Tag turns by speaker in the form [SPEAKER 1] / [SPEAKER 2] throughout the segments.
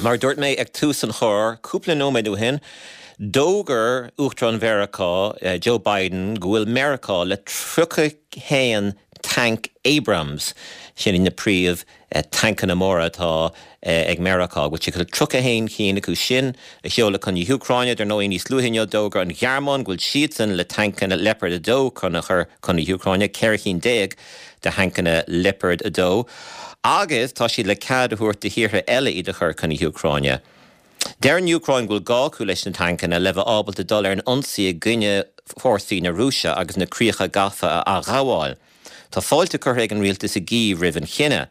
[SPEAKER 1] Mar a dúirt mé ag tús an chláir cúpla nóiméad ó shin, d'fhógair Uachtarán Mheiriceá, Joe Biden, go bhfuil Meiriceá le 31 tanc Abrams, sin iad na príomh tancanna móra atá ag Meiriceá, go bhfuil siad le 31 cinn acu sin a sheoladh chun na hÚcráine. Dar ndóigh, níos luaithe inniu d'fhógair an Ghearmáin go bhfuil siadsan le tancanna Leopard 2 chun a chur chun na hÚcráine, 14 chinn de thancanna Leopard 2 agus tá siad le cead a thabhairt do thíortha eile iad a chur chun na hÚcráine. Deir an Úcráin go bhfuil gá acu leis na tancanna le bheith ábalta dul ar an ionsaí i gcoinne fórsaí na Rúise agus na críocha gafa a athghabháil. Tá fáilte curtha ag an rialtas i gCív roimh an chinneadh.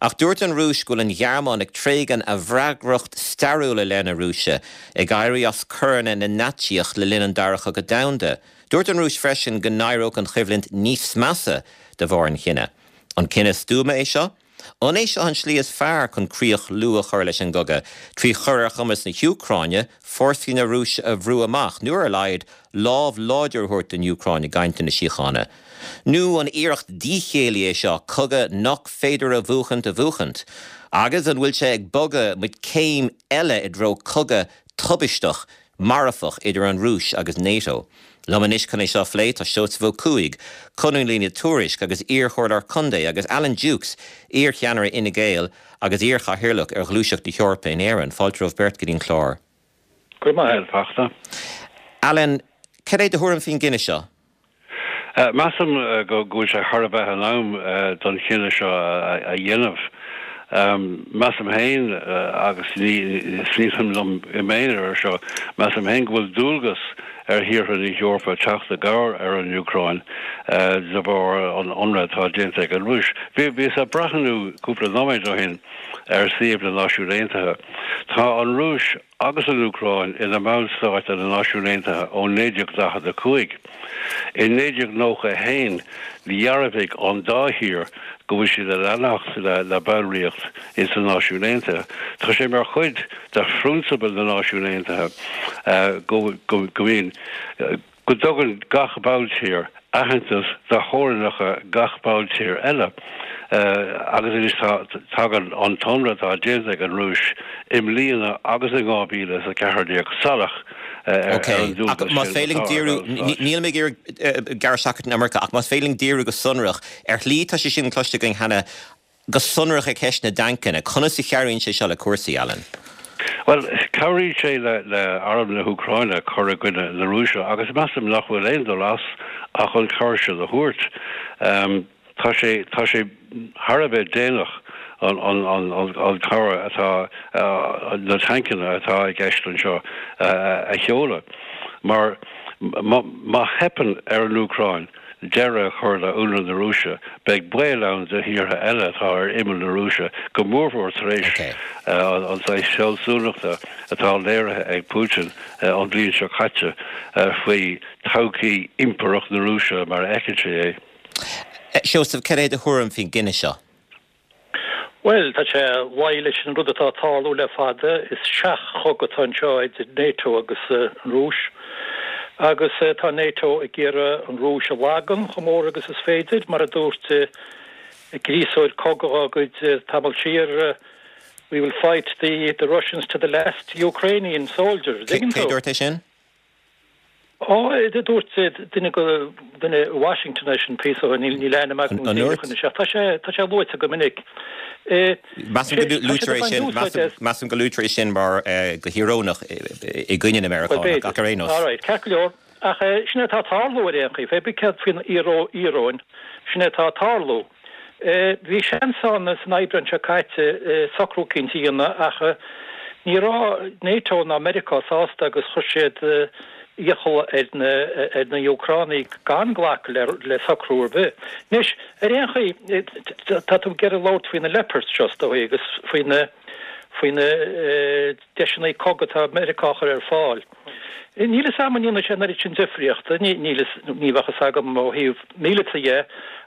[SPEAKER 1] Ach dúirt an Rúis go bhfuil an Ghearmáin ag tréigean a bhfreagracht stairiúil i leith na Rúise, ag éirí as coireanna na Naitsíoch le linn an Dara Cogadh Domhanda. Dúirt an Rúis freisin go n-éireodh an choimhlint níos measa de bharr an chinnidh. An cinneadh stuama é seo? An é seo an slí is fearr chun críoch luath a chur leis an gcogadh, trí chur ar chumas na hÚcráine fórsaí na Rúise a bhrú amach, nó ar a laghad, lámh láidir a thabhairt don Úcráin i gcainteanna síochána? Nó an iarracht díchéillí é seo cogadh nach féidir a bhuachaint a bhuachaint? Agus an bhfuil sé ag bogadh muid céim eile i dtreo cogadh tubaisteach marfach idir an Rúis agus NATO. Liom anois chun é seo a phlé tá Seosamh Ó Cuaig, colúnaí le Tuairisc agus iar-chomhairleoir contae agus Alan Dukes, iar-cheannaire Fhine Gael agus iar-chathaoirleach ar Ghluaiseacht na hEorpa in Éirinn. Fáilte romhaibh beirt go dtí an clár.
[SPEAKER 2] Go raibh maith agat, a Fachtna.
[SPEAKER 1] Alan, cad é do thuairim faoin gcinneadh seo?
[SPEAKER 2] Measaim go bhfuil sé thar a bheith in am don chinneadh seo a dhéanamh. Measaim féin, agus nílim liom i m'aonar ar seo, measaim féin go bhfuil dualgas ar thíortha na hEorpa teacht i gcabhair ar an Úcráin de bharr an ionradh atá déanta ag an Rúis. Bhíos ag breathnú cúpla nóiméad ó shin ar suíomh na Náisiún Aontaithe. Tá an Rúis agus an Úcráin ina mballstáit de na Náisiúin Aontaithe ó 1945. I 1991 dhearbhaigh an dá thír go bhfuil siad ag leanacht le ballraíocht ins na Náisiúin Aontaithe. Tá sé mar chuid de phrionsabail na Náisiún Aontaithe go mbíonn go dtugann gach balltír aitheantas do theorainneacha gach balltír eile agus anois tagann an t-ionradh atá déanta ag an Rúis i mbliana agus in 2014 salach ar an
[SPEAKER 1] dualgas sin atá ar bhallstáit. Níl mé ag iarraidh gearradh isteach ort an iomarca ach más féidir linn díriú go sonrach ar shlí tá sé sin cloiste againn cheana Go sonrach ar cheist na dtancanna, conas a chabhraíonn sé seo le cúrsaí, Alan?
[SPEAKER 2] Bhuel, cabhraíonn sé le arm na hÚcráine cur i gcoinne na Rúise agus measaim nach bhfuil aon dul as ach an chabhair sin a thabhairt. Tá sé, tá sé thar a bheith déanach an, an, an, an chabhair atá, na tancanna atá i gceist anseo a sheoladh mar má, má theipeann ar an Úcráin, deireadh a chur le ionradh na Rúise, beidh baol ann do thíortha eile atá ar imeall na Rúise, go mórmhór tar éis an saghas fealsúnachta atá léirithe ag Putin an bhliain seo caite faoi todhchaí impireacht na Rúise mar a fheiceann sé
[SPEAKER 1] é. Seosamh, cad é do thuairim faoin gcinneadh seo?
[SPEAKER 3] Bhuel, tá sé luí leis an rud atá ag tarlú le fada. Is seach-chogadh atá anseo idir NATO agus an Rúis. Agus tá NATO ag iarraidh an Rúis a lagan chomh mór agus is féidir. Mar a dúirt gríosóir cogaidh dá gcuid tamall siar, We will fight the the Russians to the last Ukrainian soldier.
[SPEAKER 1] Cé a dúirt é sin?
[SPEAKER 3] Ó, dúirt duine go, duine i Washington é sin píosa ó shin, níl ainm agam
[SPEAKER 1] An
[SPEAKER 3] díreach anois ach tá sé, tá sé luaite go minic.
[SPEAKER 1] Measaim go luaitear é sin, measaim go luaitear é sin mar go híorónach i gcoinne na Meiriceánach ach ar aon nós.
[SPEAKER 3] All right, ceart go leor. Ach sin é atá ag tarlú ar aon chaoi, pé bith céard faoin íoróin, sin é atá ag tarlú. Bhí seans ann san Aibreán seo caite socrú eicínt a dhéanamh ach ní raibh NATO ná Meiriceá sásta agus chuir siad iachall ar na ar na Úcránaigh gan glacadh le socrú ar bith. Anois, ar aon chaoi, tá tú ag iarraidh labhairt faoi na Leopards seo, is dóigh, agus faoi na faoi na deiseanna cogaidh atá Meiriceá a chur ar fáil. Níl fhios a'm an ndéanfaidh sé an oiread sin difríochta, níl fhios, ní bheadh fhios agam ó thaobh míleata dhe,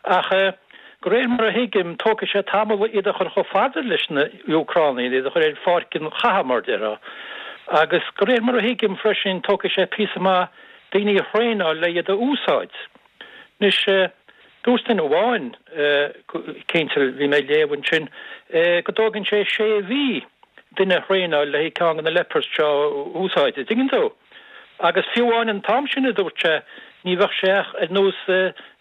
[SPEAKER 3] ach de réir mar a thuigim, tógfaidh sé tamall iad a chur chomh fada leis na Úcránaigh, iad a chur ar pháirc an chatha, mar déarfá. Agus de réir mar a thuigim freisin, tógfaidh sé píosa maith daoine a thraenáil le iad a úsáid. Anois, dúirt duine amháin, cinnte, bhí mé ag léamh ansin, go dtógann sé sé mhí. duine a thraenáil le haghaidh ceann de na Leopards seo a úsáid, an dtuigeann tú? Agus fiú amháin an t-am sin, a dúirt sé, ní bheadh sé ach ar nós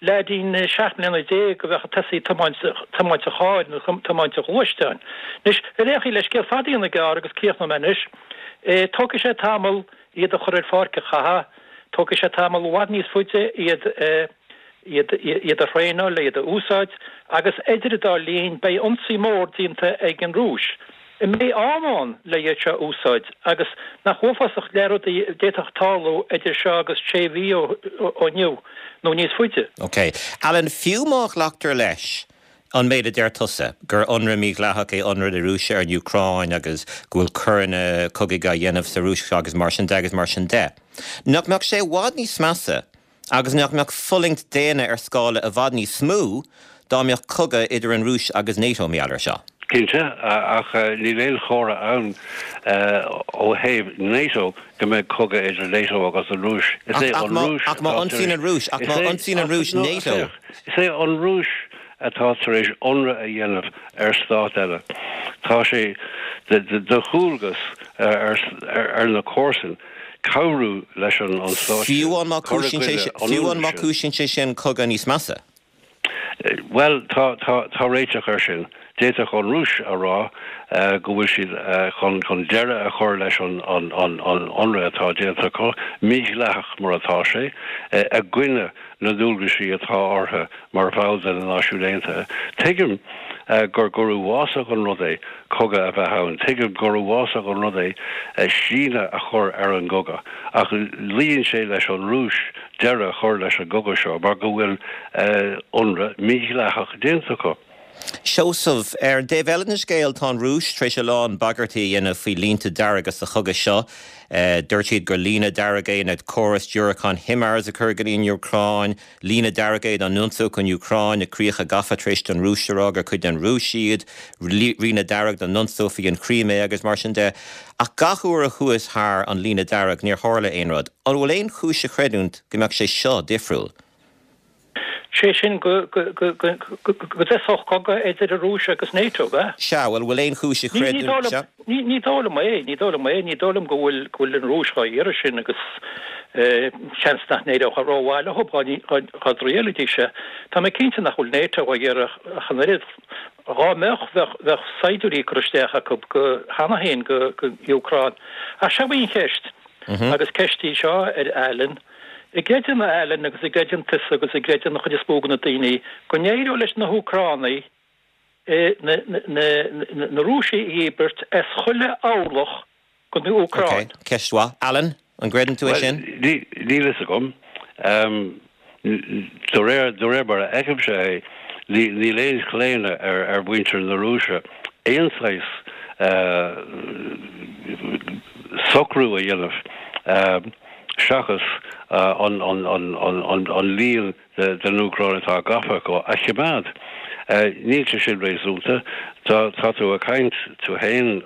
[SPEAKER 3] leaidín 17 mbliana a bheadh ag tosaí ag tiomáint an chairr nó tiomáint an ghluaisteáin. Anois, ar aon chaoi, le scéal fada a dhéanamh gearr agus críochnóidh mé anois, tógfaidh sé tamall iad a chur ar pháirc an chatha, tógfaidh sé tamall i bhfad níos faide iad a iad iad a thraenáil, iad a úsáid, agus idir an dá linn beidh ionsaí mór déanta ag an Rúis. An mbeidh am ann le iad seo a úsáid agus nach uafásach le rudaí a d'fhéadfadh tarlú idir seo agus sé mhí ó inniu nó níos faide?
[SPEAKER 1] Ok. Alan, fiú má ghlactar leis an méid a deir tusa, gur ionradh mídhleathach é ionradh na Rúise ar an Úcráin agus go bhfuil coireanna cogaidh á dhéanamh sa Rúis agus mar sin de agus mar sin de, nach mbeadh sé i bhfad níos measa Agus nach mbeadh fulaingt daonna ar scála i bhfad níos mó dá mbeadh cogadh idir an Rúis agus NATO mar gheall air seo?
[SPEAKER 2] Cinnte, ach níl aon chomhartha ann ó thaobh NATO go mbeidh cogadh idir NATO agus an Rúis.
[SPEAKER 1] Is é an Rúis Ach má ionsaíonn an Rúis, ach má ionsaíonn an Rúis NATO.
[SPEAKER 2] Is é an Rúis atá tar éis ionradh a dhéanamh ar stát eile. Tá sé de dhualgas ar na comharsain cabhrú leis an stát
[SPEAKER 1] sin cur i gcoinne an Fiú amháin má chúisíonn sé sin cogadh níos measa?
[SPEAKER 2] Bhuel, tá réiteach air sin. D'fhéadfadh an Rúis a rá go bhfuil siad chun deireadh a chur leis an ionradh atá déanta acu, mídhleathach mar atá sé, i gcoinne na ndualgaisí atá orthu mar bhall de na Náisiúin Aontaithe. Tuigim gur gur uafásach an rud é cogadh a bheith ann. Tuigim gur uafásach an rud é síneadh a chur ar an gcogadh. Ach luíonn sé leis an Rúis deireadh a chur leis an gcogadh seo mar go bhfuil ionradh mídhleathach déanta acu.
[SPEAKER 1] Seosamh, Ar an dtaobh eile den scéal, tá an Rúis tar éis a lán bagairtí a dhéanamh faoi línte dearga sa chogadh seo. Dúirt siad gur líne dearg é na córais diúracán HIMARS a chur go dtí an Úcráin, líne dearg é dá n-ionsódh an Úcráin na críocha gafa tar éis don Rúis a rá gur cuid den Rúis iad, líne dearg dá n-ionsófaí an Chrímé agus mar sin de. Ach gach uair a chuathas thar an líne dearg níor tharla aon rud. An bhfuil aon chúis a chreidiúint go mbeadh sé seo difriúil?
[SPEAKER 3] Sé sin go dtosódh cogadh idir an Rúis agus NATO, ab ea?
[SPEAKER 1] Sea, bhuel, bhfuil aon chúis a chreidiúint, sea?
[SPEAKER 3] Ní dóigh liom é, ní dóigh liom é, ní dóigh liom go bhfuil, go bhfuil an Rúis dhá iarraidh sin agus seans nach n-éireodh rómhaith leo dá dtriailfidís é. Tá mé cinnte nach bhfuil NATO dhá iarraidh ach an oiread. Dhá mbeadh, bheadh, bheadh saighdiúirí curtha isteach acu go, cheana féin go, go Úcráin. Ach seo í an cheist, agus ceist í seo ar Alan, An gcreideann Alan agus an gcreideann tusa agus an gcreideann an chuid is mó de na daoine go n-éireoidh leis na hÚcránaigh na Rúisigh a dhíbirt as chuile orlach den Úcráin?
[SPEAKER 1] Ok, ceist mhaith. Alan, an gcreideann tú é sin?
[SPEAKER 2] Bhuel, níl fhios agam. De réir, de réir mar a fheicimse é, níl aon chlaonadh ar mhuintir na Rúise aon saghas socrú a dhéanamh. seachas an líon den Úcráin atá gafa acu a choimeád. Níl sé sin réasúnta. Tá tú ag caint tú féin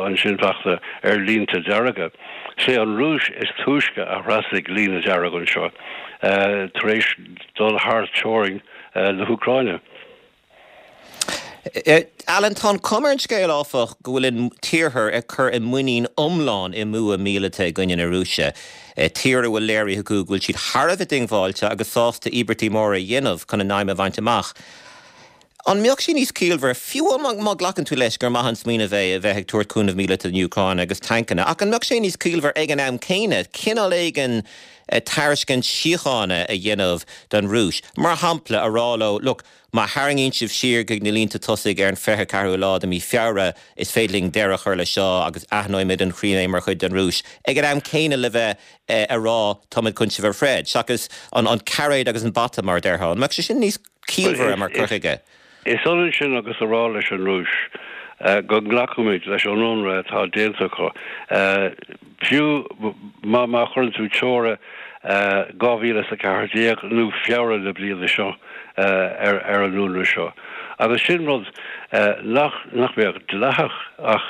[SPEAKER 2] ansin fosta ar línte dearga. Sé an Rúis is túisce a thrasnaigh líne dearg anseo tar éis dul thar teorainn na hÚcráine.
[SPEAKER 1] Alan, tá an chuma ar an scéal, áfach, go bhfuil an tIarthar ag cur a muinín iomlán i mbua míleata i gcoinne na Rúise, tír a bhfuil léirithe acu go bhfuil siad thar a bheith diongbháilte agus sásta íobairtí móra a dhéanamh chun a n-aidhm a bhaint amach. An mbeadh sé níos ciallmhaire, fiú má ghlacann tú leis gur maith an smaoineamh é a bheith ag tabhairt cúnamh míleata don Úcráin agus tancanna, ach an mbeadh sé níos ciallmhaire ag an am céanna cineál éigin tairiscint síochána a dhéanamh don Rúis, mar shampla, a rá leo, look, má tharraingíonn sibh siar chuig na línte tosaigh ar an 24ú lá de mhí Feabhra, is féidir linn deireadh a chur leis seo agus aithneoimid an Chrímé mar chuid den Rúis, ag an am céanna le bheith a rá táimid chun sibh a throid, seachas an cairéad agus an bata, mar a déarfá. An mbeadh sé sin níos ciallmhaire mar chur chuige?
[SPEAKER 2] Is ionann sin agus a rá leis an Rúis go nglacfaimid leis an ionradh atá déanta acu, fiú má chuireann tú teora 2014 nó Feabhra na bliana seo ar an ionradh seo. Agus sin rud nach mbeadh dleathach ach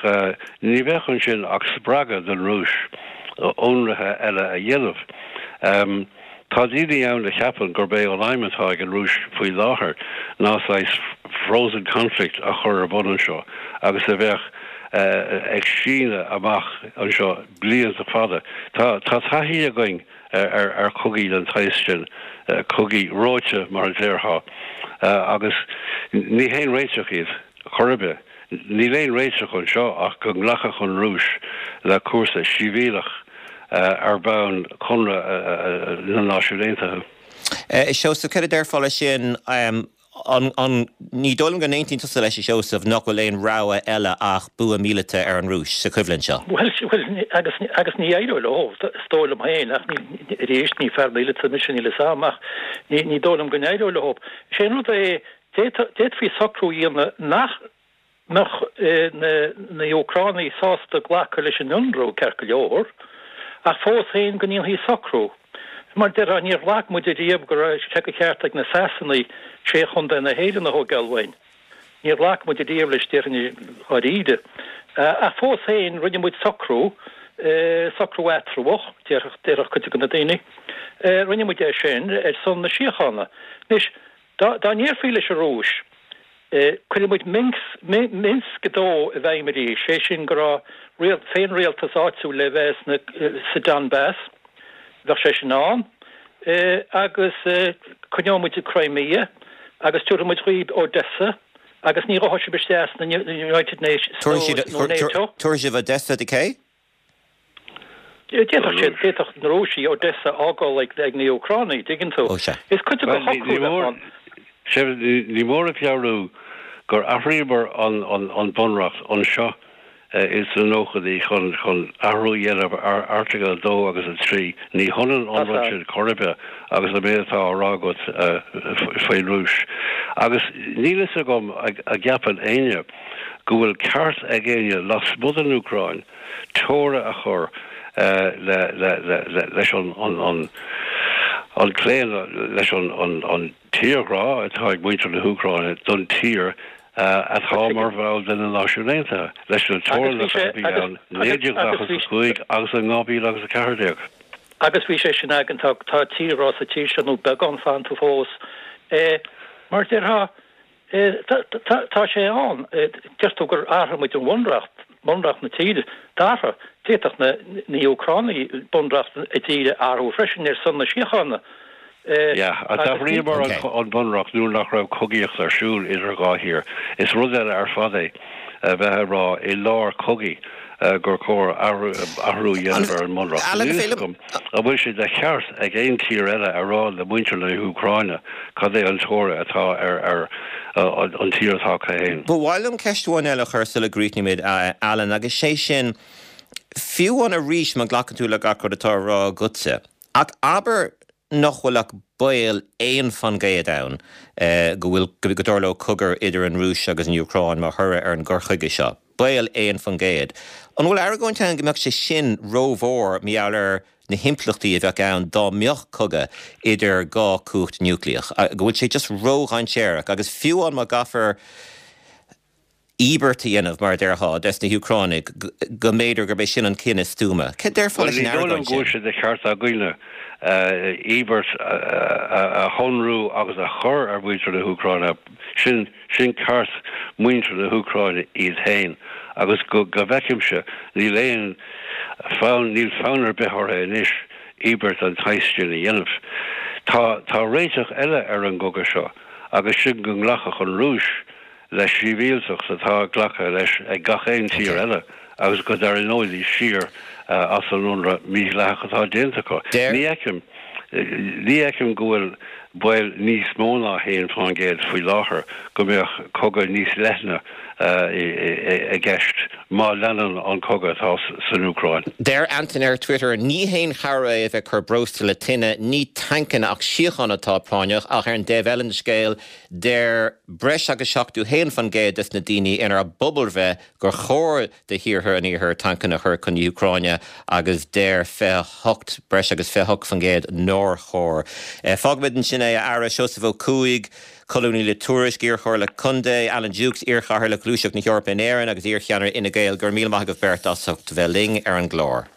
[SPEAKER 2] ní bheadh ansin ach spreagadh don Rúis ionraithe eile a dhéanamh. Tá daoine ann a cheapann gurb é an aidhm atá ag an Rúis faoi láthair ná saghas frozen conflict a chur ar bun anseo agus a bheadh. ag síneadh amach anseo blianta fada. Tá taithí againn ar chogaí den tsaghas sin, cogaí reoite mar a déarfá, agus ní haon réiteach iad chor ar bith. Níl aon réiteach anseo ach go nglacfadh an Rúis le cúrsa sibhialach ar bhonn Chonradh na Náisiún Aontaithe.
[SPEAKER 1] A Sheosaimh, céard a déarfá leis sin? An, an, ní dóigh liom go n-aontaíonn tusa leis, a Sheosaimh, nach bhfuil aon rogha eile ach bua míleata ar an Rúis sa choimhlint seo.
[SPEAKER 3] Bhuel, bhuel, agus, agus ní éireoidh leo, is dóigh liom féin, ach ní, arís, ní fear míleata mise, níl 'fhios a'm, ach ní, ní dóigh liom go n-éireoidh leo. Is é an rud é, d'fhéadfadh, d'fhéadfaí socrú a dhéanamh nach mbeadh na, na hÚcránaigh sásta glacadh leis an ionradh, ceart go leor, ach fós féin go ndéanfaí socrú. Mar a déarfá, níor ghlac muid ariamh go raibh sé de cheart ag na Sasanaigh sé chontae na hÉireann a thógáil uainn. Níor ghlac muid ariamh leis, déarfainn i ndáiríre. Ach fós féin, rinne muid socrú, socrú eatramhach, déarfadh, déarfadh cuid de na daoine. Rinne muid é sin ar son na síochána. Anois, dá, dá ndéarfaí leis an Rúis, Cuirfidh muid Minsk 2 i bhfeidhm arís, sé sin go raibh féinrialtas áitiúil le bheith sa Donbass, bheadh sé sin ann, agus coinneoidh muid Crimea agus tabharfaidh muid dhaoibh Odessa agus ní ghabhfaidh sibh isteach sna United Nations nó
[SPEAKER 1] NATO. Tabharfaidh sibh Odessa do cé?
[SPEAKER 3] D'fhéadfadh siad, d'fhéadfadh na Rúisigh Odessa a fhágáil ag na hÚcránaigh, dtuigeann tú.
[SPEAKER 1] Ó sea.
[SPEAKER 3] Is cuid de shocrú a bheadh ann.
[SPEAKER 2] Ní mór a mheabhrú gur athraíomar an Bunreacht anseo ins na nóchaidí chun athrú a dhéanamh ar Airteagal 2 agus 3. Ní hionann an rud sin chor ar bith agus an méid atá á rá agat faoin Rúis. Agus níl fhios agam an gceapann éinne go bhfuil ceart ag éinne lasmuigh den Úcráin teora a chur leis an claonadh, leis an tírghrá atá ag muintir na hÚcráine don tír atá mar bhall de na Náisiúin Aontaithe, leis na teorainneacha a bhí ann 1945 agus in 2014.
[SPEAKER 3] Agus bhí sé sin againn, tá tírghrá sa tír seo, nó beagán fanta fós. Mar a déarfá, Tá sé ann. Deir tú gur athraigh muid an bhunreacht, bunreacht na tíre. D'athraigh. D'fhéadfadh na hÚcránaigh bunreacht a dtíre a athrú freisin ar son na síochána.
[SPEAKER 2] Yeah, d'athraíomar an bunreacht nuair nach raibh cogaíocht ar siúl idir dhá thír. Is rud eile ar fad é a bheith ag rá i lár cogaidh gur chóir athrú a dhéanamh ar an mbunreacht. Níl a fhios agam an bhfuil sé de cheart ag aon tír eile a rá le muintir na hÚcráine cad é an toradh atá ar an tír atá acu féin.
[SPEAKER 1] Ba mhaith liom ceist amháin eile a chur sula gcríochnaímid, Alan, agus sé sin, fiú amháin arís má ghlacann tú le gach rud atá á rá agatsa, ach abair nach bhfuil ach baol 1% ann go bhfuil, go dtarlódh cogadh idir an Rúis agus an Úcráin mar thoradh ar an gcur chuige seo. Baol 1%. An bhfuil argóint ann go mbeadh sé sin rómhór mar gheall ar na himpleachtaí a bheadh ann dá mbeadh cogadh idir dhá chumhacht núicléach? Go bhfuil sé just ródhainséarach agus fiú amháin má gcaithfear íobairt a dhéanamh, mar a déarfá, des na hÚcránaigh, go mb'fhéidir gurb é sin an cinneadh is stuama. Céard a déarfá
[SPEAKER 2] leis an
[SPEAKER 1] argóint sin?
[SPEAKER 2] Bhuel, ní dóigh liom go bhfuil sé de cheart againne íobairt a shonrú agus a chur ar mhuintir na hÚcráine. Sin sin ceart muintir na hÚcráine iad féin agus go bhfeicimse níl aon fonn, níl fonn ar bith orthu anois íobairt den tsaghas sin a dhéanamh. Tá tá réiteach eile ar an gcogadh seo agus sin go nglacfadh an Rúis le sibhialtacht atá glactha leis ag gach aon tír eile agus go dtarraingeoidís siar as an ionradh mídhleathach atá déanta acu. Ní fheicim, ní fheicim go bhfuil baol níos mó ná 1% faoi láthair go mbeadh cogadh níos leithne i gceist má leanann an cogadh atá san Úcráin.
[SPEAKER 1] Deir Antain ar Twitter, Ní haon chabhair é a bheith ag cur breosla le tine, ní tancanna ach síocháin atá práinneach, ach ar an dtaobh eile den scéal, Deir breis agus 71% des na daoine inár bpobalbhreith gur chóir do thíortha an Iarthair tancanna a chur chun na hÚcráine agus deir 28, breis agus 28% nár chóir. Fágfaimid ansin é, a fheara, Seosamh Ó Cuaig, colúnaí le Tuairisc, iarchomhairleach contae, Alan Dukes, iarchathaoirleach Ghluaiseacht na hEorpa in Éirinn agus iarcheannaire Fhine Gael, go raibh míle maith agaibh beirt as ucht bheith linn ar an gclár.